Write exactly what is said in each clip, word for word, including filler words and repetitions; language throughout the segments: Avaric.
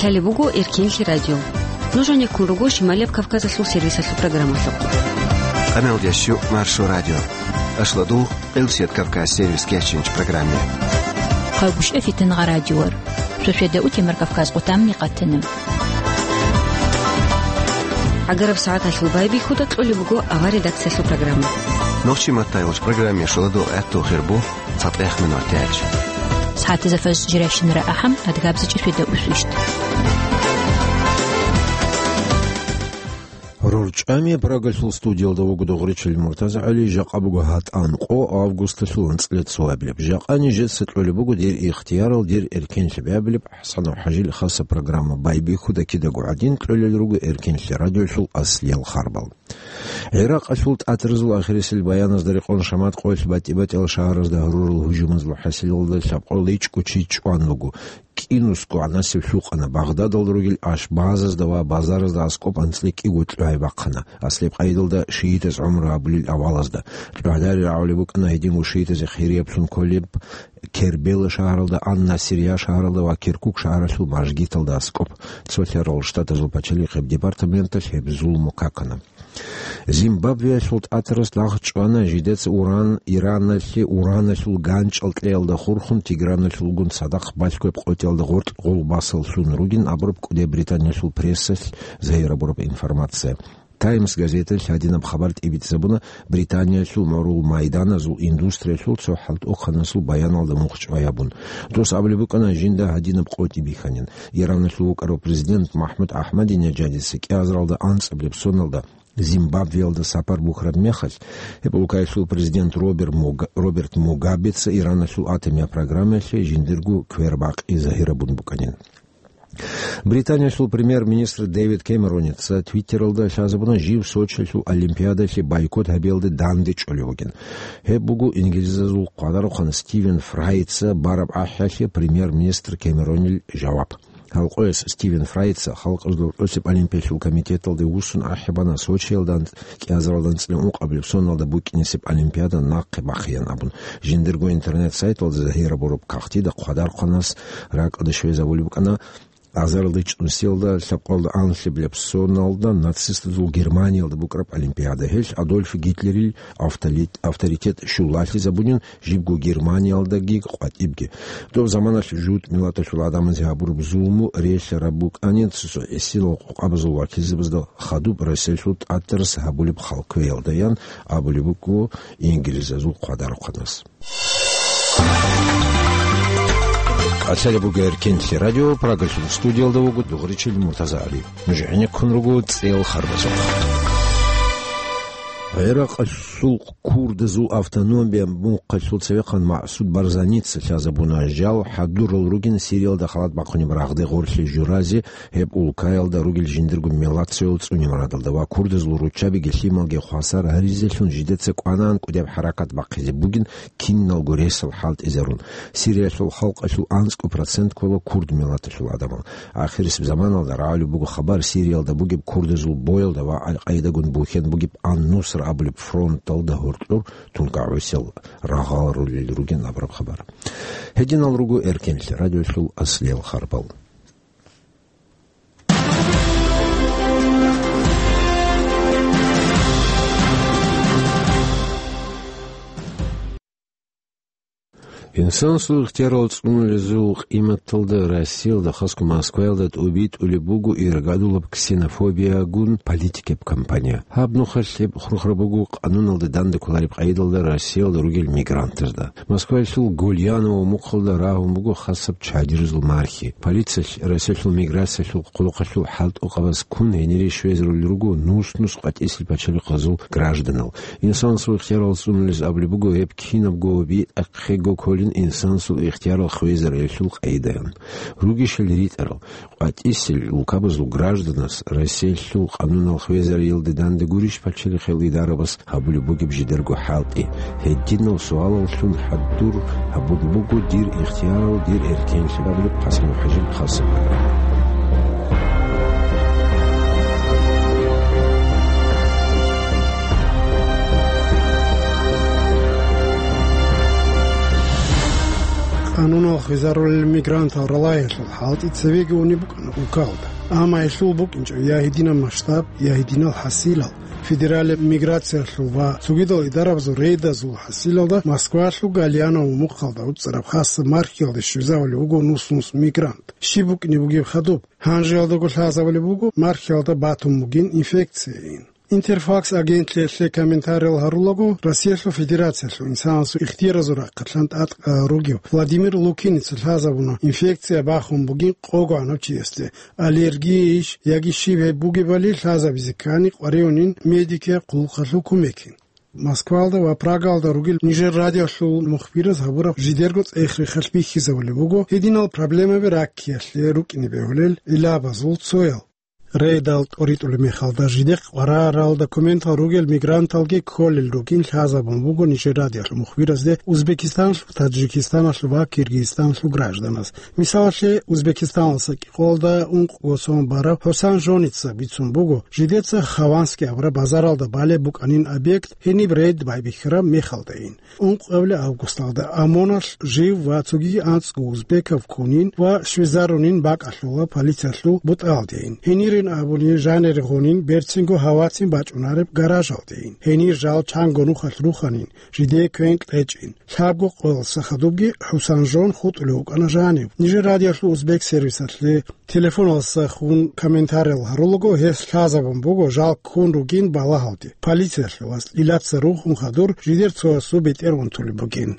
Лъалеб буго Эркенлъи радио. Нуж гьанеккун руго Шималияб Кавказалъул сервисалъул программалъухъ. Къамел ящу Маршо радио. Ашладу Къилсият Кавказ сервис кечинч программе. Хъавгушев Фитнагъа радиор. Шошеда утемар Кавказ къутамни къатана. ГӀагараб сагӀаталъул байбихьуда кьолеб буго авар редакциялъул программа. Нохчи маттайолч программе шуладу гӀатту хирбу. ЦатӀех минутач. СагӀатазда фаз жирайщинара ахӀам, адгабза чӀишведа усвищ. РорчӀами Прагалъул студиялда вуго Дугъричил МуртазагӀали, жакъа буго гьатӀан къо августалъул анцӀила цоабилеб. Жакъа нижеца кьолеб буго дир ихтиярал, дир эркенлъи бегьабилеб ХӀасанов ХӀажил хаса программа. Байбихьуда кидаго гӀадин кьолел руго Эркенлъи радиолъул аслиял харбал. ГӀиракъалъул тӀатразул ахирисел баяназда рекъон шамат къоялъ батӀи-батӀиял шагьаразда гьарурал гьужумазул хӀасилалда лъабкъоялда ичӀго чи чӀван вуго. КӀинусго гӀанасеб лъукъана Багъдадалда ругел ашбазазда ва базаразда аскӀоб анцӀила кӀиго кьогьай бахъана, аслияб къайдалда шиитаз гӀумру гьабулел авалазда. Кьогьлъари рагӀулеб букӀана гьединго шиитазе хирияб лъун кколеб Кербела шагьаралда, Ан-Насирия шагьаралда ва Киркук шагьаралъул мажгиталда аскӀоб. Цолъарал Штатазул пачалихъеб департаменталъ гьеб зулму какана. Зимбабвеялъул тӀатарас лагъ чӀвана, жидеца уран, Ираналъе ураналъул ганчӀал кьеялда хурхун, Тиграналъулгун цадахъ балъгояб къотӀиялда гъоркь гъол басал лъун ругин абураб кӀудияб Британиялъул прессалъ загьир абураб информация. Таймс газеталъ гьадинаб хабар тӀибитӀизабуна Британиялъул гӀурул майданазул индустриялъул цо хӀалтӀухъанасул баяналда мухъ чӀвай гьабун. Дос абулеб букӀана жинда гьадинаб къотӀи бихьанин. Ираналъул вукӀарав президент МахӀмуд АхӀмадинежадица кӀиазаралда анцӀабилеб соналда Зимбабвеялда сапар бухьараб мехалъ, гьеб улкаялъул президент Роберт Муга-, Роберт Мугабеца Ираналъул атомияб программаялъе жиндирго квербакъи загьирабун букӀанин. Британиялъул премьер-министр Дэвид Кэмероница Твиттералда лъазабуна жив Сочилъул Олимпиадалъе бойкот гьабиялде данде чӀолев вугин. Гьеб буго инглизазул хъвадарухъан Стивен Фрайца бараб ахӀиялъе премьер-министр Кэмеронил жаваб. Гьалкъояс Стивен Фрайца Халкъазул ГӀурцӀияб Олимпиялъул комитеталде вуссун ахӀи бана Сочиялда анцӀ-, кӀиазаралда анцӀила ункъабилеб соналда букӀинесеб Олимпиада нахъе бахъеян абун. Жиндирго интернет-сайталда загьир абураб кагътида хъвадарухъанас ракӀалде щвезабулеб букӀана азарилда чӀунсиялда лъабкъоялда анлъабилеб соналда нацистазул Германиялда букӀараб Олимпиада. Гьелъ Адольф Гитлерил автолит-, авторитет щулалъизабунин, жибго Германиялдаги къватӀибги. Доб заманалъ жугьутӀ миллаталъул гӀадамазе гьабураб зулму релълъараб букӀанин, цо-цо гӀисинал къокъабазул вакилзабазда хадуб Россиялъул тӀатарас гьабулеб хал кквеялдаян абулеб буго инглизазул хъвадарухъанас. КӀалъалеб буго Эркенлъи радио, Прагалъул студиялда вуго Дугъричил МуртазагӀали. Нуж гӀенеккун руго цӀел харбазухъ. ГӀиракъалъул курдазул автономия мухъалъул цевехъан Масуд Барзаница лъазабуна жал хӀадурал ругин Сириялда халат бахъунеб рагъде гъорлъе журазе, гьеб улкаялда ругел жиндирго мелацоял цӀуне мурадалда ва курдазул руччабиги лъималги хвасар гьаризелъун жидеца кӀванан кӀудияб хӀаракат бахъизе бугин, киналго ресал хӀалтӀизарун. Сириялъул халкъалъул анцӀго процент ккола курд миллаталъул гӀадамал. Ахирисеб заманалда рагӀулеб буго хабар Сириялда бугеб курдазул боялда ва Ал-Къаидагун бухьен бугеб Ан-Нусра абулеб фронталда гьоркьор тункагӀусел рагъал рулел ругин абураб хабар. Гьединал руго Эркенлъи радиолъул аслиял харбал. Инсанасул ихтиярал цӀунулезул къиматалда Россиялда, хасго Москваялда тӀубитӀулеб буго иргадулаб ксенофобиягун политикаб кампания. Гьаб нухалъ гьеб хурхараб буго къануналда данде кколареб къайдалда Россиялда ругел мигрантазда. Москваялъул Гольяново мухъалда рагьун буго хасаб чадирзул мархи. Полициялъ Россиялъул миграциялъул хъулухъалъул хӀалтӀухъабаз ккун гьенире щвезарулел руго нус-нус къватӀисел пачалихъазул гражданал. Инсанасул ихтиярал цӀунулез абулеб буго гьеб кинабго битӀахъего кколин инсанасул ихтиярал хвезариялъул къайдаян. Ругищали ритӀарал, къватӀисел улкабазул гражданас Россиялъул къанунал хвезариялде данде гурищ пачалихъел идарабас гьабулеб бугеб жидерго хӀалтӀи? Гьединал суалаллъун хӀадур гьабулеб буго дир ихтиярал, дир эркенлъи абулеб ХӀасан ХӀажил хасаб. Гьанунал хвезарулел мигрантал ралагьиялъул хӀалтӀи цевеги унеб букӀана улкалда. Амма гьелъул букӀинчӀо я гьединаб масштаб, я гьединал хӀасилал. Федералияб миграциялъул ва цогидал идарабазул рейдазул хӀасилалда Москвалъул Гальяново мухъалда уцӀцӀараб хасаб мархиялде щвезавулев вуго нус-нус мигрант. Щиб букӀине бугеб хадуб? Гьанжеялдаго лъазабулеб буго мархиялда батун бугин инфекцияйин. Интерфакс агентлъиялъе комментариял гьарулаго, Россиялъул Федерациялъул инсанасул ихтияразул рахъалъан тӀадкъарал ругев Владимир Лукиница лъазабуна инфекция бахун бугин къого гӀанав чиясде, аллергияйищ яги щиб гьеб бугебали лъазабизе ккани къваригӀунин медикияб хъулухъалъул кумекин. Москвалда ва Прагалда ругел нижер радиолъул мухбираз гьабураб жидерго цӀех-рехалъ бихьизабулеб буго гьединал проблемаби раккиялъе рукӀине бегьулел гӀиллабазул цоял. Рейдал тӀоритӀулеб мехалда жидехъ къварарал документал ругел мигранталги кколел ругин лъазабун буго нижер радиолъул мухбиразде Узбекистаналъул, Таджикистаналъул ва Киргизстаналъул гражданаз. Мисалалъе, Узбекистаналдаса кӀикъоялда ункъго сон барав ХӀусан Жоница бицун буго, жидеца Хованский абураб базаралда балеб букӀанин объект гьениб рейд байбихьараб мехалдайин. Ункъабилеб августалда ОМОНалъ жив ва цогиги анцӀго узбекав ккунин ва щвезарунин бакӀалъула полициялъул бутӀалдейин. Гьенирин абуни жанире гъунин берцинго гьавацин бачӀунареб гаражалдейин. Гьенир жал чанго нухалъ руханин, жидее квен кьечӀин. Лъабго къоялдаса хадубги ХӀусан Жон хутӀулев вукӀана жанив. Нижер радиолъул узбек сервисалъе телефоналдаса хун комментариял гьарулаго, гьес лъазабун буго жал ккун ругин балагьалде. Полициялъул вас Илаца рухун хадур жидер цоясул бетӀер унтулеб бугин.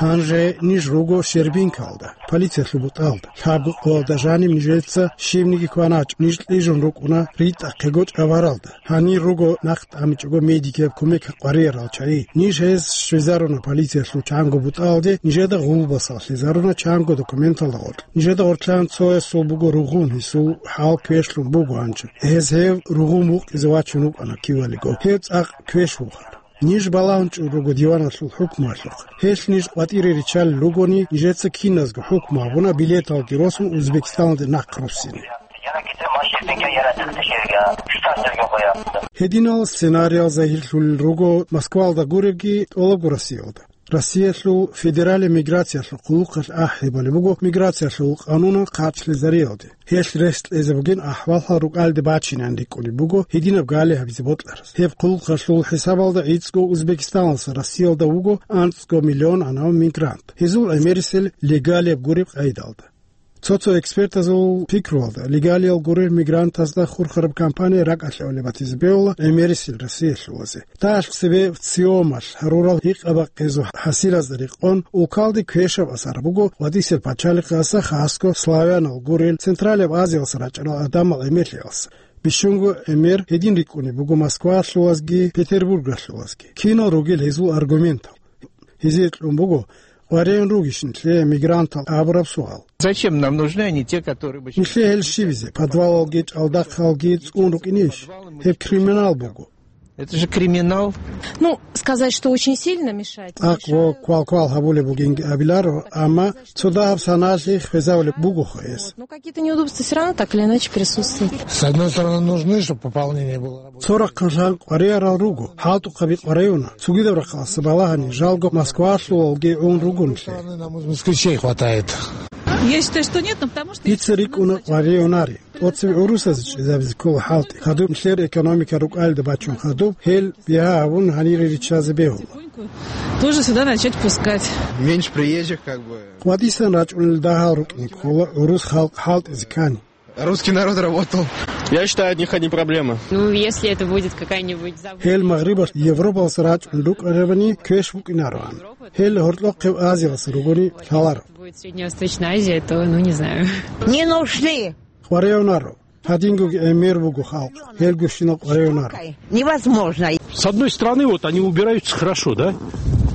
Гьанже ниж руго Щербинкалда, полициялъул бутӀалда. Лъабго къоялда жаниб нижеца щибниги кваначӀо, ниж кьижун рукӀуна ритӀахъего чӀабаралда. Гьанир руго нахъ тӀамичӀого медикияб кумек къвариял чагӀи. Ниж гьез щвезаруна полициялъул чанго бутӀалде, нижеда гъулбасал лъезаруна чанго документалда гъоркь. Нижеда гъоркьан цоясул буго ругъун, гьесул хӀал квешлъун буго гьанже. Гьез гьев ругъун вукъизе вачун вукӀана кивалиго. Гьев цӀакъ квеш вухар. Ниж балагьун чӀун руго диваналъул хӀукмуялъухъ. Гьелъ ниж къватӀире риччалел ругони, нижеца киназго хӀукму гьабуна билеталги росун Узбекистаналде нахъ руссине. Гьединал сценариял загьирлъулел руго Москвалда гуребги тӀолабго Россиялда. Россиялъул федералияб миграциялъул хъулухъалъ ахӀи балеб буго миграциялъул къанунал хъарчлъизариялде. Гьелъ рес кьезе бугин ахӀваллъал рукӀалде бачинан рикӀкӀунеб буго гьединаб гали гьабизе бокьарас. Гьеб хъулухъалъул хӀисабалда гӀицӀго Узбекистаналдаса Россиялда вуго анцӀго миллион гьанав мигрант. Гьезул гӀемерисел легалияб гуреб къайдалда. Цо-цо экспертазул пикруялда, легалиял гурел мигрантазда хурхараб кампания ракӀалъ гӀолеб батизе бегьула гӀемерисел Россиялъулазе. Дагьалъ цебе ВЦИОМалъ гьарурал гьикъа-бакъизул хӀасилазда рекъон, улкалде квешаб асар буго ВацӀисел пачалихъаса хасго славянал гурел Централияб Азиялса рачӀарал гӀадамал гӀемерлъиялса. Бищунго гӀемер гьедин рикӀкӀунеб буго Москвалъулазги Петербургалъулазги. Кинал ругел гьезул аргументал? Гьезие кьун буго, къваригӀун ругищ нилъее мигрантал абураб суал. Зачем нам нужны они, те, которые бы... Нилъее гьел щибизе, подвалалги чӀалдахъалги цӀун рукӀинищ? Гьеб криминал буго. Это же криминал. Ну, сказать, что очень сильно мешает, это... Акъго квал-квал гьабулеб бугинги абиларо, амма цо дагьаб саналъи хвезавулеб бугоха гьес. Ну, какие-то неудобства всё равно так или иначе присутствуют. С одной стороны, нужны, чтобы пополнение было. Цо рахъалъан къваригӀарал руго, хӀалтӀухъаби къваригӀуна, цогидаб рахъалъа балагьани жалго Москвалъулалги гӀун руго нилъее. Нам москвичей хватает. Я считаю, что нет, но потому что... Дица рикӀкӀуна къваригӀунарин. ТӀоцебе гӀурусазе чӀезабизе ккола хӀалтӀи. Хадуб нилъер экономика рукӀалда бачун хадуб, гьел бигьа гьабун гьанире риччазе бегьула. Тоже сюда начать пускать. Меньше приезжих, как бы. ВацӀисан рачӀунел дагьал рукӀине ккола гӀурус халкъ хӀалтӀизе ккани. Русский народ работал. Я считаю, от них одни проблемы. Ну, если это будет какая-нибудь зав... Гьел Магърибалъ Европалъ рачӀун рукӀарабани квеш букӀинароан. Гьел гьоркьохъеб Азиялъ ругони лъаларо. Будет Средневосточная Азия, то, ну, не знаю. Не нужны. КъваригӀунаро. Гьадингоги гӀемер буго халкъ. Гьел гущинал къваригӀунаро. Невозможно. С одной стороны, вот они убираются хорошо, да?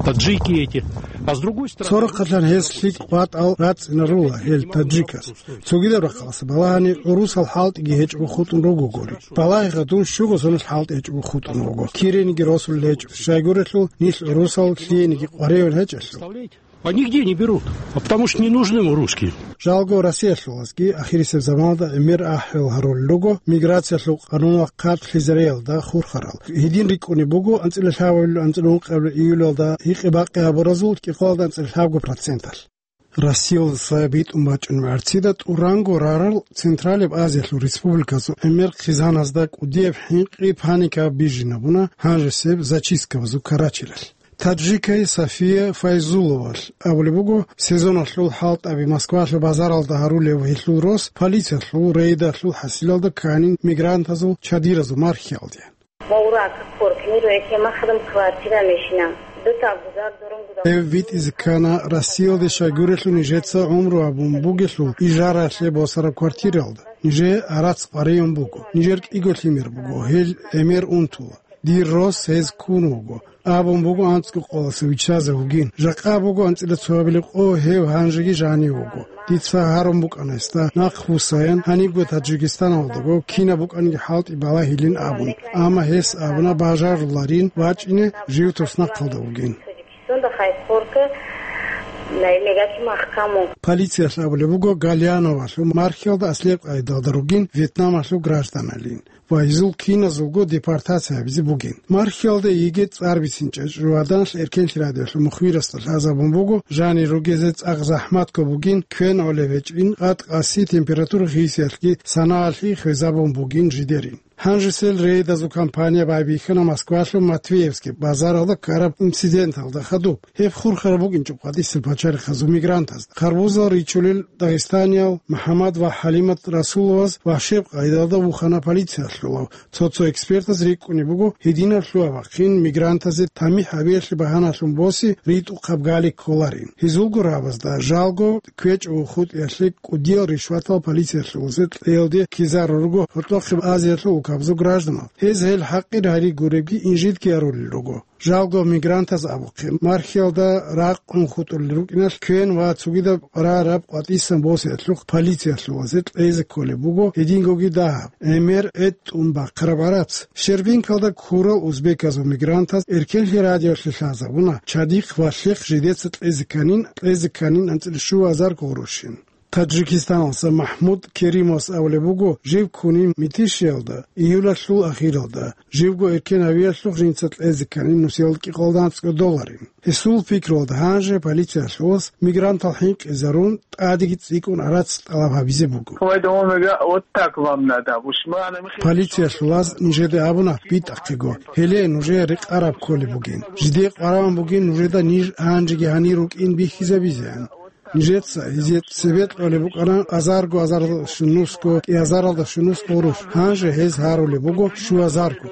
Таджики эти. А с другой стороны... Цо рахъалъан гьез лъикӀ къватӀал рацӀцӀинарула гьел таджикас. Цогидаб рахъалъа балагьани гӀурусал хӀалтӀиги гьечӀого хутӀун ругогури. Балагьиха, дун щуго соналъ хӀалтӀи гьечӀого хутӀун вуго. Кирениги росулел гьечӀо. Щайгурелъул нилъ гӀурусал лъиениги къваригӀун гьечӀелъул. А нигде не берут, а потому что не нужны мы русские. Жалго Россиялъулазги ахирисеб заманалда гӀемер ахӀел гьарулел руго миграциялъул къануналъ хъарчӀлъизариялда хурхарал. Гьедин рикӀкӀунеб буго анцӀила лъабабилеб анцӀила ункъабилеб июлалда гьикъи-бакъи гьабуразул кӀикъоялда анцӀила лъабго проценталъ. Россиялдаса битӀун бачӀунеб гӀарцида тӀуранго рарал Централияб Азиялъул республиказул гӀемер хъизаназда кӀудияб хӀинкъи-паника бижинабуна гьанжесеб зачисткабазул карачелалъ. Таджикай София Файзуловалъ абулеб буго, сезоналъул хӀалтӀаби Москвалъул базаралда гьарулев гьелъул рос полициялъул рейдалъул хӀасилалда кканин мигрантазул чадиразул мархиялде. Маврак, коркни руэке махадам квартира мешина. Дутаб гузар дурун гудам. Гьев витӀизе ккана Россиялде щайгурелъул нижеца гӀумру гьабун бугелъул ижаралъе босараб квартиралда. Нижее гӀарац къваригӀун буго. Нижер кӀиго лъимер буго, гьел гӀемер унтула. Дир рос гьез ккун вуго. Абун буго анцӀго къоялъ виччазе вугин. Жакъа буго анцӀила цоабилеб къо, гьев гьанжеги жанив вуго. Дица гьарун букӀана гьесда, нахъвуссаян, гьанибго Таджикистаналдаго кинаб букӀаниги хӀалтӀи балагьилин абун. Амма гьес абуна бажаруларин вачӀине жив туснахъалда вугин. Полициялъ абулеб буго, Гальяновалъул мархиялда аслияб къайдалда ругин Вьетнамалъул гражданалин. Ва гьезул киназулго депортация гьабизе бугин. Мархиялда йигей цӀар бицинчӀеб чӀужугӀаданалъ эркенлъи радиоялъул мухбирасда лъазабун буго, жанир ругезе цӀакъ захӀматго бугин, квен гӀолеб гьечӀин, къат-къаси, температура хисиялъги санаялъги хвезабун бугин жидерин. Гьанжесел рейдазул кампания байбихьана Москвалъул Матвеевский базаралда ккараб инциденталда хадуб. Гьеб хурхараб букӀинчӀо къватӀисел пачалихъазул мигрантазда. Харбузал ричулел дагъистаниял МухӀаммад ва ХӀалимат Расуловаз вагьшияб къайдалда вухана полициялъулав. Цо-цо экспертаз рикӀкӀунеб буго, гьединаб лъугьа-бахъин мигрантазе тамихӀ гьабиялъе багьаналъун босе ритӀухъаб гали кколарин. Гьезулго рагӀабазда жалго квечӀого хутӀиялъе кӀудиял ришватал полициялъулазе кьеялде ккезарурго гьоркьохъеб Азиялъул улкабазул гражданал. Гьез гьел хӀакъир гьаригуребги инжитги гьарулел руго. Жалго мигрантаз абухъе, мархиялда ракъун хутӀулел рукӀиналъ квен ва цогидаб рараб къватӀисан босиялъухъ полициялъулазе кьезе кколеб буго гьедингоги дагьаб, гӀемер гӀетӀун бахъараб гӀарац. Щербинкалда ккурал узбеказул мигрантаз эркенлъи радиоялъе лъазабуна, чадихъ ва лъихъ жидеца кьезе кканин, кьезе кканин анцӀила щуазар гъурущин. Таджикистаналъа МахӀмуд Керимовас абулеб буго, жив ккунин Митишиялда, июлалъул ахиралда, живго эркен гьавиялъухъ жинца кьезе кканин нусиялда кӀикъоялда анцӀго долларин. Гьесул пикруялда гьанже полициялъулас мигрантал хӀинкъизарун тӀадеги цӀикӀкӀун гӀарац тӀалаб гьабизе буго. Полициялъулаз нижеда абуна, битӀахъего, гьеле нужее рекъараб кколеб бугин. Жидее къваригӀун бугин нужеда ниж гьанжеги гьанир рукӀин бихьизабизеян. Нижеца гьезие цебе кьолеб букӀана азарго, азаралда щунусго, кӀиазаралда щунус гъурущ. Гьанже гьез гьарулеб буго щуазарго.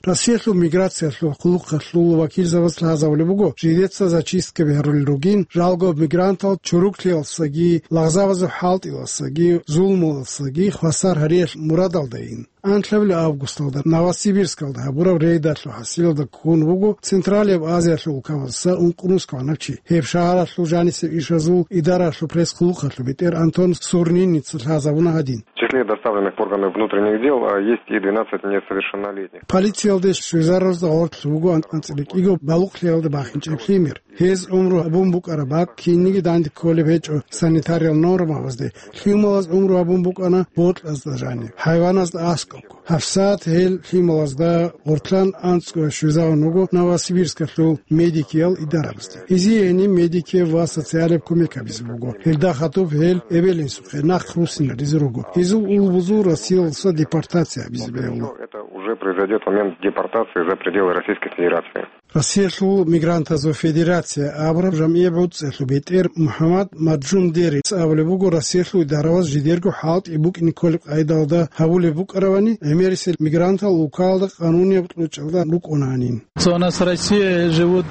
Россиялъул миграциялъул хъулухъалъул вакилзабаз лъазабулеб буго, жидеца зачисткаби гьарулел ругин, жалго мигрантал чуруклъиялдасаги, лагъзабазул хӀалтӀиялдасаги, зулмуялдасаги хвасар гьариялъ мурадалдайин. Анлъабилеб августалда Новосибирскалда гьабураб рейдалъул хӀасилалда ккун вуго Централияб Азиялъул улкабазаса ункънусго гӀанав чи. Гьеб шагьаралъул жанисеб ишазул идаралъул пресс-хъулухъалъул бетӀер Антон Сурниница лъазабуна гьадин. В числе доставленных в органы внутренних дел, а, есть и двенадцать несовершеннолетних. Полициялде щвезарузда гъорлъ буго анцӀила кӀиго балугълъиялда бахинчӀеб лъимер. Гьез гӀумру гьабун букӀараб бакӀ кинниги данде кколеб гьечӀо санитариял нормабазде, лъималаз гӀумру гьабун букӀана бокьазда жаниб, хӀайваназда аскӀобго. ГьабсагӀат гьел лъималазда гъортлъан анцӀго щвезавун вуго Новосибирскалъул медикиял идарабазде. Гьезие гьениб медикияб ва социалияб кумек гьабизе буго. Гьелда хадуб гьел эбел-инсухъе нахъ руссинаризе руго. Гьезул улбузул Россиялдаса депортация гьабизе бегьула. Это уже произойдёт момент депортации за пределы Российской Федерации. Россиялъул мигрантазул федерация абураб жамгӀияб гӀуцӀиялъул бетӀер МухӀаммад Маджумдерис абулеб буго, Россиялъул идараваз жидерго хӀалтӀи букӀине кколеб къайдалда гьабулеб букӀаравани, гӀемерисел мигрантал улкаялда къанунияб кьучӀалда рукӀунанин. У нас в России живут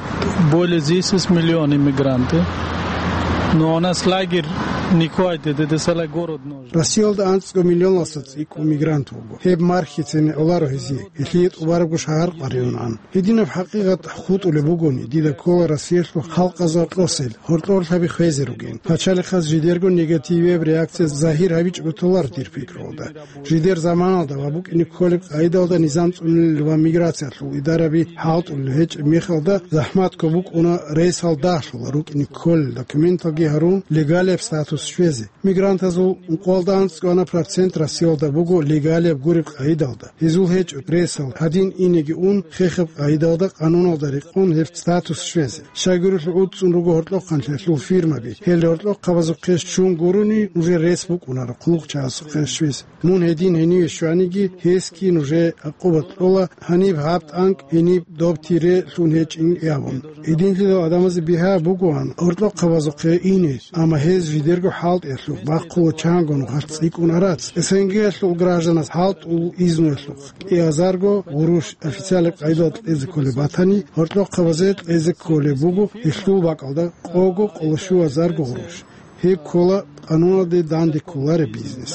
более десять миллион иммигранты. Но у нас лагерь Николай, де, де, де, салай город нож. Россиялда анцӀго миллионалдаса цӀикӀкӀун мигрант вуго. Гьеб мархьицин гӀоларо гьезие, гьелъие тӀубарабго шагьар къваригӀунан. Гьединаб хӀакъикъат хутӀулеб бугони, дида ккола Россиялъул халкъазул рокьосел, гьоркьор лъаби хвезе ругин. Пачалихъаз жидерго негативияб реакция загьир гьабичӀого толар, дир пикруялда. Жидер заманалда ва букӀине кколеб къайдалда низам цӀунулел ва миграциялъул идараби хӀалтӀулел гьечӀеб мехалда захӀматго букӀуна рейсал дагьлъула рукӀине кколел документалги гьарун легалияб статус щвезе. Мигрантазул ункъоялда анцӀго процент Россиялда буго легалияб гуреб къайдалда. Гьезул гьечӀо рейсал гьадин инеги ун, хехаб къайдалда къануналда рекъон гьеб статус щвезе. Щайгурелъул гӀуцӀцӀун руго гьоркьохъанлъиялъул фирмаби. Гьел гьоркьохъабазухъе щун гурони, нужер рес букӀунаро хъулухъчагӀазухъе щвезе. Мун гьедин гьениве щваниги, гьесги нужее гӀакъуба кьола, гьаниб гьаб тӀанкӀ, гьениб доб тире лъун гьечӀин абун. Гьединлъидал гӀадамазе бигьа бугоан гьоркьохъабазухъе ине, амма гьез жидерго хӀалтӀиялъухъ бахъула чанго нухалъ цӀикӀкӀун арац. СНГ-ялъул гражданас хӀалтӀул изнуялъухъ кӀиазарго гъурущ официалаб къайдал кьезе кколеб батани, гьоркьохъабазе кьезе кколеб буго гьелъул бакӀалда къого къоло щуазарго гъурущ. Гьеб ккола къануналде данде кколареб бизнес.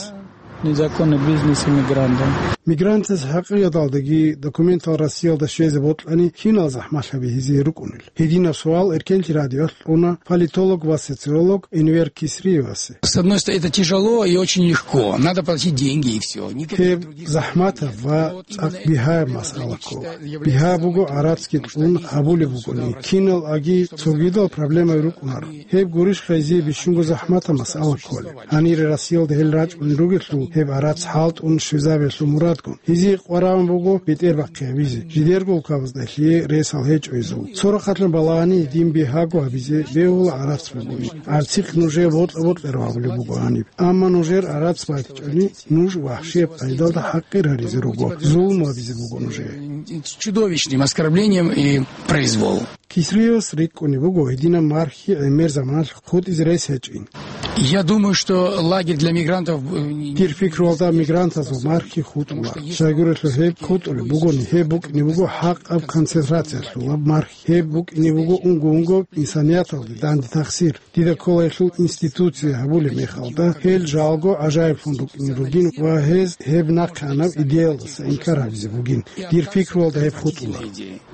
Незаконный бизнес иммигрантам. Мигрантаз хӀакъиялдаги документал Россиялда щвезе бокьани, кинал захӀмалъаби гьезие рукӀунел? Гьединаб суал Эркенлъи радиоялъ кьуна политолог ва социолог Энвер Кисриевасе. С одной стороны, это тяжело и очень легко. Надо платить деньги и все. Гьеб захӀматаб ва цӀакъ бигьаяб масъала ккола. Бигьа буго гӀарацги кьун гьабулеб бугони, кинал аги цогидал проблемаби рукӀунаро. Гьеб гурищха гьезие бищунго захӀматаб масъала кколеб? Гьанире Россиялда гьел рачӀунел ругелъул, гьеб гӀарац хӀалтӀун щвезабиялъул мурадгун. Гьезие къварагӀун буго бетӀер бахъи гьабизе. Жидерго улкабазда гьелъие ресал гьечӀо гьезул. Цо рахъалъан балагьани, дин бигьаго гьабизе бегьула гӀарац бугони. ГӀарцихъ нужее бокьа-бокьарав гьабулеб буго гьаниб. Амма нужер гӀарац батичӀони, нуж вахӀшияб къайдалда хӀакъир гьаризе руго, зулму гьабизе буго нужее. Чудовищным оскорблением и произвол. Кисриевас рикӀкӀунеб буго гьединаб мархьи гӀемер заманалъ хутӀизе рес гьечӀин. Я думаю, что лагерь для мигрантов, э, не- Дир пикруялда мигрантазул мархьи хутӀула. Щайгурелъул гьеб хутӀулеб бугони, гьеб букӀине буго хӀакъаб концентрациялъулаб мархьи. Гьеб букӀине буго унго-унго инсанияталде данде тахсир. Дида ккола гьелъул институция гьабулеб мехалда, гьел жалго гӀажаиблъун рукӀине ругин ва гьез гьеб нахъеанаб идеялдаса инкар гьабизе бугин. Дир пикруялда гьеб хутӀула.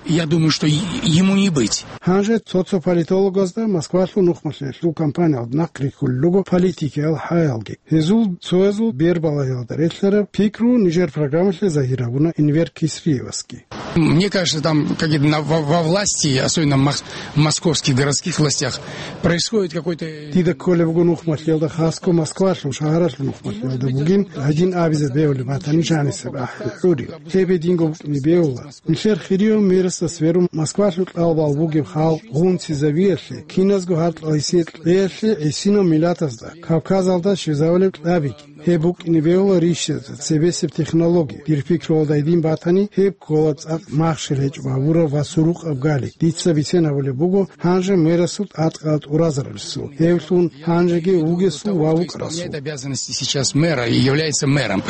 Я думаю, что и- ему не быть. Гьанже цо-цо политологазда Москвалъул нухмалъиялъул кампаниялда нахъ рихьулел руго политикиял хӀаялги. Гьезул цоязул бербалагьиялда релълъараб пикру нижер программалъе загьир гьабуна Энвер Кисриевасги. Мне кажется, там, как это, на- во, во власти, особенно в мос- московских городских властях, происходит какой-то... Дида кколеб буго нухмалъиялда, хасго Москвалъул шагьаралъул нухмалъиялда бугин, гьадин абизе бегьулеб батани жанисеб ахӀи хӀури. Гьеб гьединго букӀине бегьула. Нилъер хирияв мэрасда сверун Москвалъул кьалбал бугеб халкъ гъунцизавиялъе, киназго гьаркьал гьесие кьеялъе гӀисинав миллатазда, Кавказалда щвезавулеб кьабиги. Гьеб букӀине бегьула рищазда цебесеб технология. Дир пикруялда гьедин батани, гьеб ккола цӀакъ махщел гьечӀо гьабураб ва сурукъаб гали. Дица бицен гьабулеб буго гьанже мэрасул тӀадкъала тӀуразаралъул. Гьевлъун гьанжеги вугесул ва вукӀарасул. Исполняет обязанности сейчас мэра и является мэром,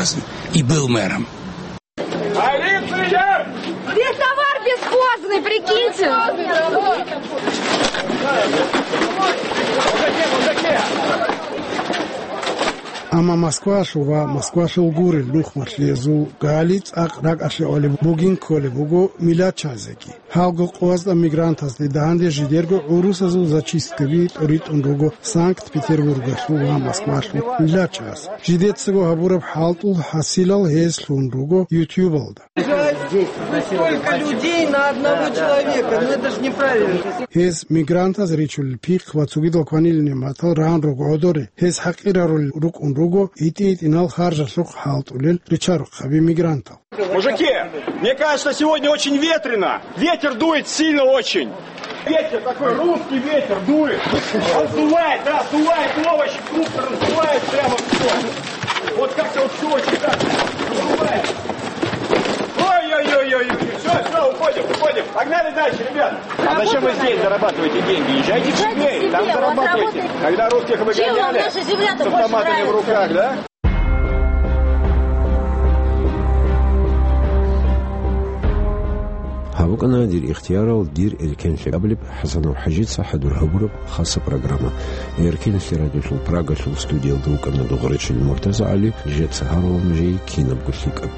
и был мэром. Здесь товар бесхозный, прикиньте. Амма Москвалъул ва Москвалъул гурел нухмалъиязул гали цӀакъ ракӀалъе гӀолеб бугин кколеб буго миллатчазеги. Гьалго къоязда мигрантазде данде жидерго гӀурусазул зачисткаби тӀоритӀун руго Санкт-Петербургалъул ва Москвалъул миллатчагӀаз. Жидецаго гьабураб хӀалтӀул хӀасилал гьез лъун руго ютубалда. Жаль, сколько людей на одного человека. Ну, это ж неправильно. Гьез мигрантаз ричулел пихъ ва цогидал кванилин нигӀматал ран руго гӀодоре. Гьез хӀакъирарулел рукӀун руго итӀи-итӀинал харжалъухъ хӀалтӀулел ричарухъаби мигрантал. Мужики, мне кажется, сегодня очень ветрено. Ветер дует сильно очень. Ветер такой, русский ветер дует. Он сдувает, да, сдувает овощи, фрукты, раздувает прямо все. Вот как-то вот все очень так сдувает. Ой-ой-ой-ой-ой, все, все, уходим, уходим. Погнали дальше, ребят. А зачем вы здесь зарабатываете деньги? Езжайте к себе, там зарабатывайте. Когда русских выгоняли с автоматами в руках, да? Гьаб КӀана дир ихтиярал, дир эркенлъи абулеб ХӀасанов ХӀажица хӀадур гьабураб хасаб программа. Эркенлъи радиолъул Прагалъул студиялда вукӀана Дугърачил МуртазагӀали, жеца гьарулеб нужее кинабго лъикӀаб.